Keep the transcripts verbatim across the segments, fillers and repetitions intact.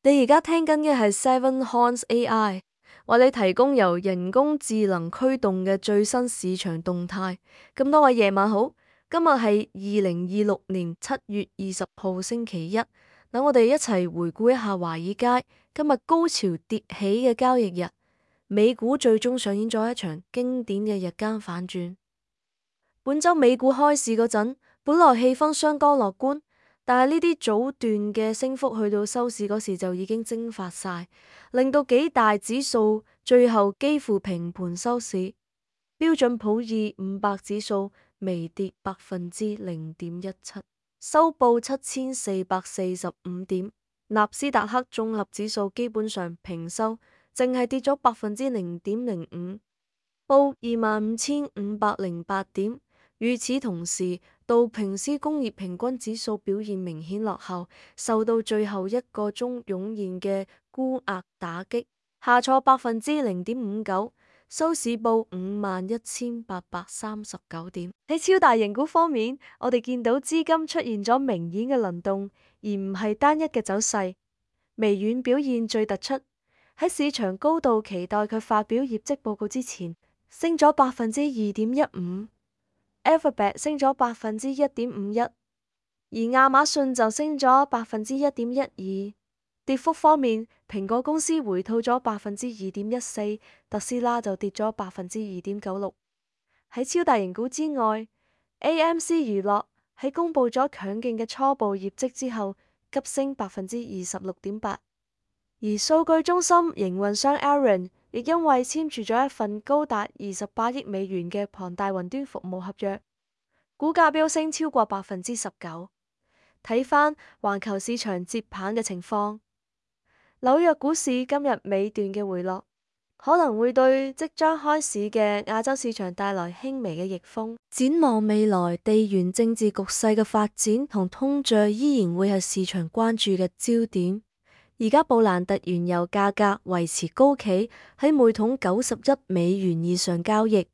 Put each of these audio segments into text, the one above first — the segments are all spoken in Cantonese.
你而家聽緊嘅係 Seven Horns A I，為你提供由人工智能驅動嘅最新市場動態。咁多位夜晚好，今日係二零二六年七月二十號星期一。等我哋一齊回顧一下華爾街今日高潮迭起嘅交易日，美股最終上演咗一場經典嘅日間反轉。本周美股開市嗰陣，本來氣氛相當樂觀。但係呢啲早段嘅升幅去到收市嗰時就已經蒸發晒，令到幾大指數最後幾乎平盤收市。標準普爾五百指數微跌百分之零點一七，收報七千四百四十五點。納斯達克綜合指數基本上平收，淨係跌咗百分之零點零五，報二萬五千五百零八點。與此同時，道瓊斯工業平均指數表現明顯落後，受到最後一個鐘湧現嘅沽壓打擊，下挫百分之零點五九，收市報五萬一千八百三十九點。喺超大型股方面，我哋見到資金出現咗明顯嘅輪動，而唔係單一嘅走勢。微軟表現最突出，喺市場高度期待佢發表業績報告之前，升咗百分之二點一五。Alphabet 升咗百分之一點五一，而亞馬遜就升咗百分之一點一二。跌幅方面，蘋果公司回吐咗百分之二點一四，特斯拉就跌咗百分之二點九六。喺超大型股之外，A M C 娛樂喺公布咗強勁嘅初步業績之後，急升百分之二十六點八。而數據中心營運商 Aaron 亦因為簽署咗一份高達二十八億美元嘅龐大雲端服務合約，股價飆升超過百分之十九。睇返環球市場接棒嘅情況，紐約股市今日尾段嘅回落，可能會對即將開市嘅亞洲市場帶來輕微嘅逆風。展望未來，地緣政治局勢嘅發展同通脹依然會係市場關注嘅焦點。而家布蘭特原油價格維持高企，喺每桶九十一美元以上交易。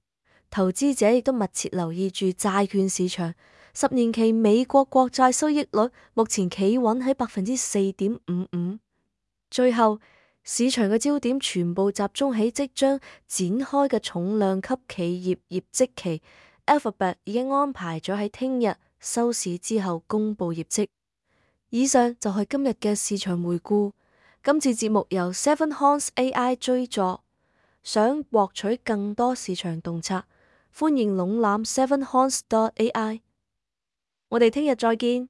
投資者亦都密切留意住債券市場，十年期美國國債收益率目前企穩喺百分之四點五五。最後，市場嘅焦點全部集中喺即將展開嘅重量級企業業績期。Alphabet 已經安排咗喺聽日收市之後公布業績。以上就係今日嘅市場回顧。今次節目由 Seven Horns A I 追助，想獲取更多市場洞察，歡迎瀏覽 seven horns dot A I。我哋聽日再見。